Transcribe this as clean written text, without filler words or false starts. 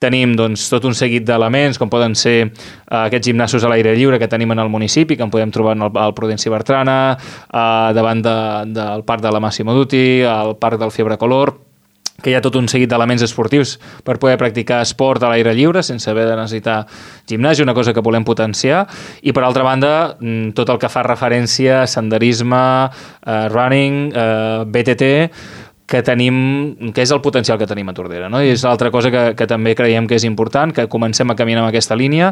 Tenim doncs, tot un seguit d'elements, com poden ser aquests gimnasos a l'aire lliure que tenim en el municipi, que en podem trobar al Prudenci Bertrana, davant del Parc de la Massimo Dutti, al Parc del Fiebre Color, que hi ha tot un seguit d'elements esportius per poder practicar esport a l'aire lliure sense haver de necessitar gimnàs, una cosa que volem potenciar. I per altra banda, tot el que fa referència a senderisme, running, BTT, que és el potencial que tenim a Tordera, no? I és l'altra cosa que també creiem que és important, que comencem a caminar en aquesta línia